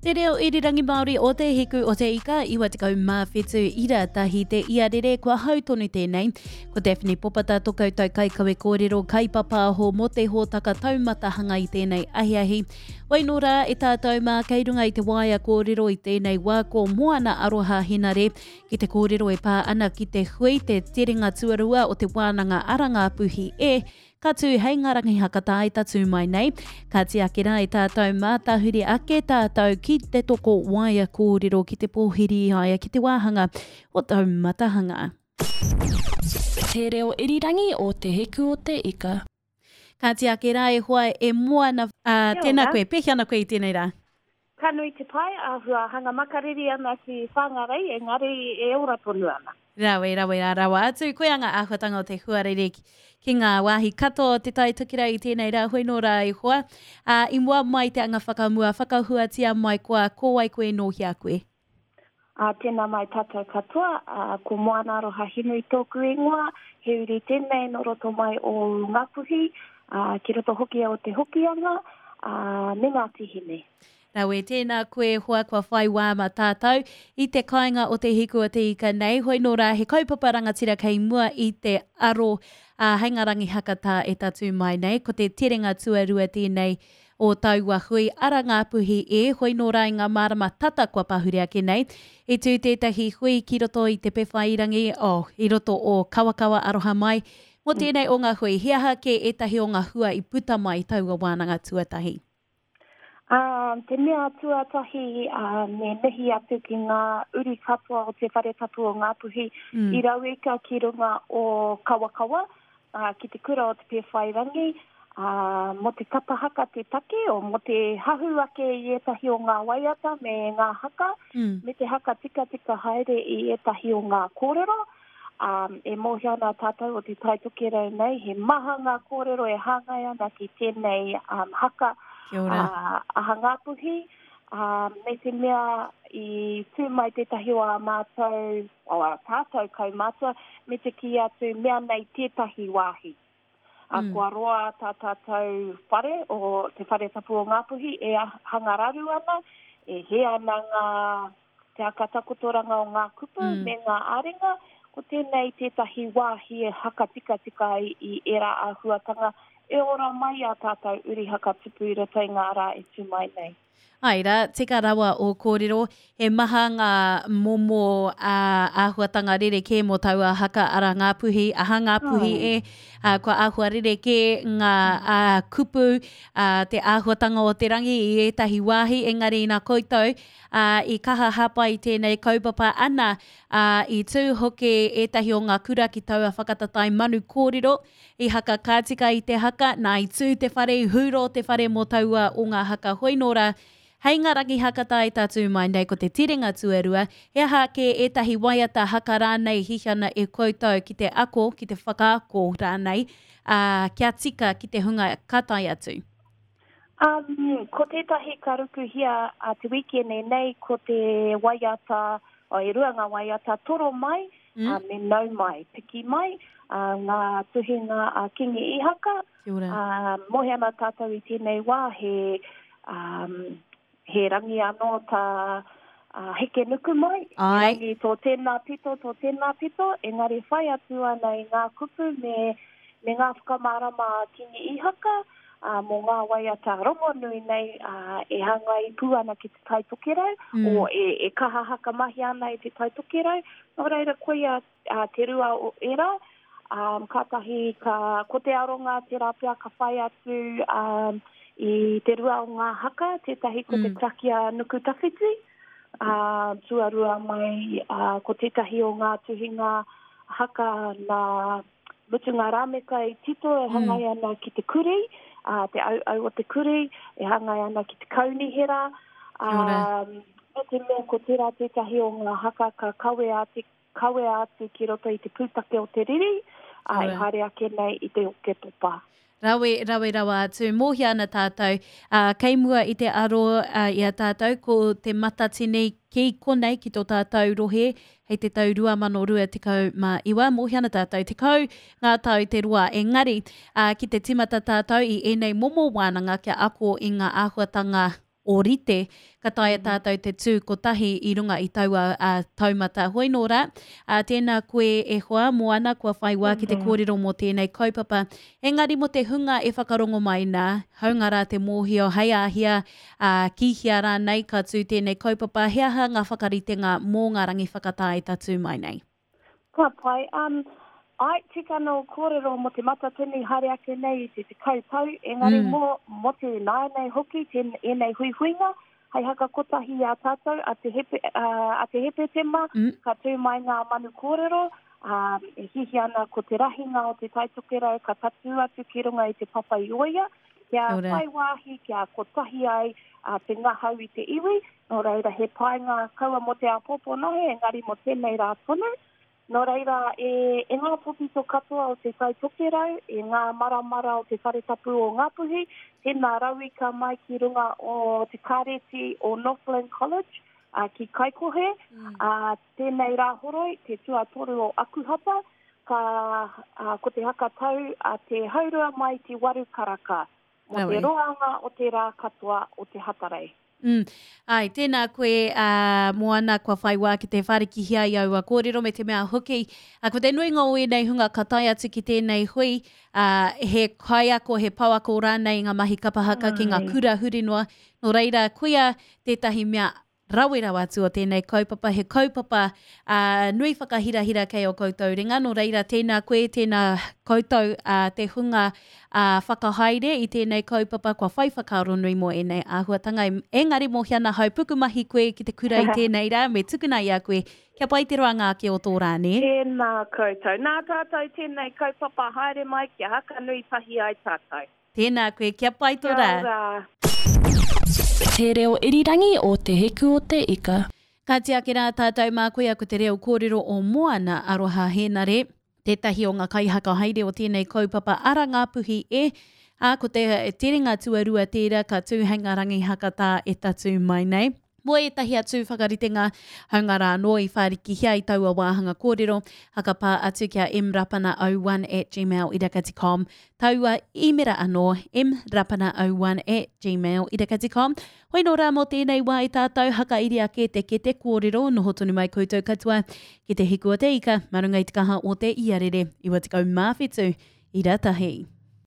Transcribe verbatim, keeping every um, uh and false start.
Te reo irirangi Māori o Te Hiku o Te Ika, iwa tekau mā whitu ira tahi te iarere, kua hau tonu tēnei. Ko Daphne Popata tō koutou kaikawe kōrero kaipapāho mō te hōtaka taumatahanga i tēnei ahiahi. Wai nō rā e tātou mā kei runga i te waea kōrero i tēnei wā ko Moana Aroha Henare ki te kōrero e pā ana ki te hui te terenga tuarua o te wānanga Ara Ngāpuhi e, ka tū hei ngā rangi hakatā i tatū mai nei. Ka tiaki rā i tātou mā tahuri ake tātou ki te toko waea kōrero ki te pōhiri i a ia ki te wāhanga o Taumatahanga. Te reo irirangi o Te Hiku o Te Ika. Ka tiaki rā e hoa e Moana, ā, tēnā koe, pēhea ana koe i tēnei rā? Ka nui te pai, āhua hanga makariri ana ki Whangarei, engari e ora tonu ana. Rawe, rawe rā rawa atu. Koia ngā āhuatanga o te huarere ki, ki ngā wāhi katoa o Te Tai Tokerau i tēnei rā, hoi nō rā e hoa. Ā, i mua mai te anga whakamua, whakahuatia mai koa, ko wai koe nō hea koe? Ā, tēnā mai tātou katoa, ā, ko Moana Aroha Hinui tōku ingoa, he uri tēnei nō roto mai o Ngāpuhi, ā, ki roto hoki o Te Hokianga, ā, me Ngāti Hine. Rawe, tēnā koe hoa kua whai wā mā tātou i te kāinga o Te Hiku o Te Ika nei, hoi nō rā he kaupapa rangatira kei mua i te aro, ā, hei ngā rangi hakatā e tatū mai nei, ko te terenga tuarua tēnei o taua hui Ara Ngāpuhi e, hoi nō rā i ngā marama tata kua pahure ake nei, i tū tētahi hui ki roto i Te Pewhairangi, oh, i roto o Kawakawa Aroha Mai, mō tēnei o ngā hui, he aha kē ētahi o ngā hua i puta mai i taua wānanga tuatahi? Ā, te mea tuatahi, ā, me mihi atu ki ngā uri katoa o Te Whare Tapu o Ngāpuhi mm. i rauika ki runga o Kawakawa, ā, ki te kura o Te Pēwhairangi, ā, mō te kapa haka te take, o mō te hahu ake i ētahi o ngā waiata me ngā haka, mm. me te haka tikatika haere i ētahi o ngā kōrero. Um, e mōhio ana tātou o Te Tai Tokerau nei, he maha ngā kōrero e hāngai ana ki tēnei um, haka uh, aha Ngāpuhi, um, me te mea i tū mai tētahi o ā mātou, o ā tātou kaumātua, me te kī atu mea nei tētahi wāhi. Mm. Uh, kua roa tā tātou whare, o Te Whare Tapu o Ngāpuhi, e hanga raru ana, e hē ana ngā te akatakotoranga o ngā kupu mm. me ngā āringa, ko tēnei tētahi wāhi e haka tikatika ai i ērā āhuatanga e ora mai a tātou uri haka tupu i roto i ngā rā e tū mai nei. Ai rā, tika rawa o kōrero, he maha ngā momo ā, āhuatanga rerekē mō taua haka Ara Ngāpuhi, aha Ngāpuhi e, ā, kua āhua rerekē ngā ā, kupu, ā, te āhuatanga o te rangi i ētahi wāhi, engari nā koutou, ā, i kaha hāpai i tēnei kaupapa ana, ā, i tū hoki ētahi o ngā kura ki taua whakataetae manu kōrero, i haka ka tika i te haka, nā i tū te whare, i hūro te whare mō taua o ngā haka hoi nō rā, hei ngā rangi haka tae tatū mai nei ko te tirenga tuarua, he aha ake ētahi waiata haka rānei hihana e koutou ki te ako, ki te whakaako rānei, ā, kia tika ki te hunga ka tae atu? Um, ko tētahi ka rukuhia a te wikene nei ko te waiata, o, e rua ngā waiata toro mai, mm. uh, me nau mai, piki mai, uh, ngā tuhinga a Kingi Ihaka. Uh, mohe ana tātou i tēnei wā, he, um, he rangi anō tā uh, heke nuku mai, he rangi tō tēnā pito, tō tēnā pito, engari whai atu ana i ngā kupu me, me ngā whakamārama a Kingi Ihaka, uh, mō ngā waiata rongonui nei uh, e hāngai pū ana ki Te Tai Tokerau, mm. o e, e kaha haka mahi ana i Te Tai Tokerau. Nō reira, koia uh, te rua o era, um, kātahi ka, ko te aronga tērā pea ka whai atu um, i te rua o ngā haka, tētahi ko mm. te karakia nuku tawhiti, uh, tuarua mai uh, ko tētahi o ngā tuhinga haka nā Mutunga Rāmeka i tito e hāngai ana ki te kuri, uh, te auau o te kuri, e hāngai ana ki te kaunihera. Um, me te mea ko tērā tētahi o ngā haka ka kawea atu, kawea atu ki roto i te pūtake o te riri, uh, e haere ake nei i te Oketopa. Rawe, rawe rawa atu. Mōhia ana tātou, uh, kei mua i te aro uh, i a tātou, ko te Matatini ki konei ki tō tātou rohe, hei te tau rua mano rua tekau mā iwa. Mōhia ana tātou, tekau ngā tau te roa engari, uh, ki te timata tātou i ēnei momo wānanga kia ako i ngā āhuatanga ōrite, ka taea tātou te tū kotahi i runga i taua uh, taumata. Hoi nō rā, uh, tēnā koe e hoa, Moana, kua whai wā ki te kōrero mō tēnei kaupapa. Engari mō te hunga e whakarongo mai nā, haunga rā te mōhio hei āhia, uh, ki hea rānei ka tū tēnei kaupapa, he aha ngā whakaritenga mō ngā rangi whakatā e tatū mai nei? Ka pai. Um, ai, tika no kōrero mō te matatini haere ake nei i te tekau tau, engari mm. mō, mō te nāianei hoki, te ēnei huihuinga, hei haka kotahi a tātou, a te, hepe, uh, a te hepetema, mm. ka tū mai ngā manu kōrero, um, e hihi ana ko te rahinga o te Taitokerau, ka tatū atu ki runga i te papa i oia, kia whai wāhi, kia kotahi ai uh, te ngahau i te iwi, nō reira he painga kaua mō te āpōpō nohe, engari mō tēnei rā tonu. Nō reira, e, e ngā tōpito katoa o te Taitokerau, e ngā maramara o te Whare Tapu o Ngāpuhi, tēnā rauika mai ki runga o te kāreti o Northland College, uh, ki Kaikohe, mm. uh, tēnei rā horoi, te tuatoru o Akuhata, ka, uh, ko te hakatau a te haurua mai te waru karaka, mō te roanga o te rā katoa o te Hatarei. Mm. Ai, tēnā koe, uh, Moana, kua whai wā ki te wharikihia i aua kōrero me te mea hoki. Uh, ko te nuinga o ēnei hunga ka tae atu ki tēnei hui, uh, he kaiako, he pouako rānei ngā mahi kapahaka ki ngā kura huri noa. Nō reira, koia tētahi mea rawe rawa atu o tēnei kaupapa, he kaupapa uh, nui whakahirahira kei o koutou ringa. Nō reira, tēnā koe, tēnā koutou uh, te hunga uh, whakahaere i tēnei kaupapa, kua whai whakaaro nui mō ēnei āhuatanga. Engari mō hiana hau pukumahi koe ki te kura i tēnei rā, me tukuna i a koe, kia pai te roanga ake o tō rā, nē? Tēnā koutou. Nā tātou tēnei kaupapa haere mai, kia haka nui tahi ai tātou. Tēnā koe, kia pai tō rā. Kia ora. Te reo irirangi o Te Hiku o te Ika. Ka tiake rā tātou mā koia ko te reo kōrero o Moana Aroha Hēnare, tētahi o ngā kaihaka haere o tēnei kaupapa ara Ngāpuhi e, ā, ko te terenga tuarua tērā ka tū hei ngā rangi hakatā e tatū mai nei. Mō ētahi atu whakaritenga, haunga rā anō i whārikihia i taua wāhanga kōrero, hakapā atu kia mrapana oh one at gmail dot com, taua īmera anō, mrapana oh one at gmail dot com. Hoi nō rā mō tēnei wā i tātou hakairi ake te kete kōrero, noho tonu mai koutou katoa ki te hiku o te ika, mā runga i te kaha o te iarere, iwa tekau mā whitu, ira tahi.